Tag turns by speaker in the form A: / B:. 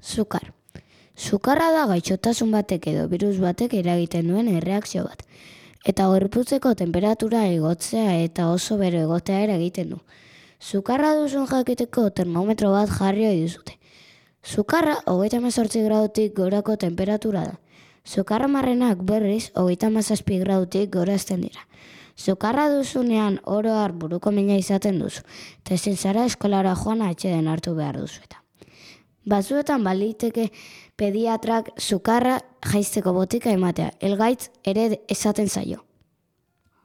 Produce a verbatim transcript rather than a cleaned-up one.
A: Sukar. Sukarra da gaixotasun batek edo birus batek eragiten duen erreakzio bat. Eta gorputzeko tenperatura igotzea eta oso bero egotea ere egiten du. Sukarra duzun jakiteko termometro bat jarri ohi duzute. Sukarra hogeita hemezortzi gradutik gorako temperatura da. Sukarra marrenak berriz hogeita hamazazpi gradutik gora hasten dira. Sukarra duzunean oro har buruko mina izaten duzu, eta ezin zara eskolara joan atsedena hartu behar duzu eta. Batzuetan baliteke pediatrak sukarra jaisteko botika ematea, elgaitz ere esaten zaio.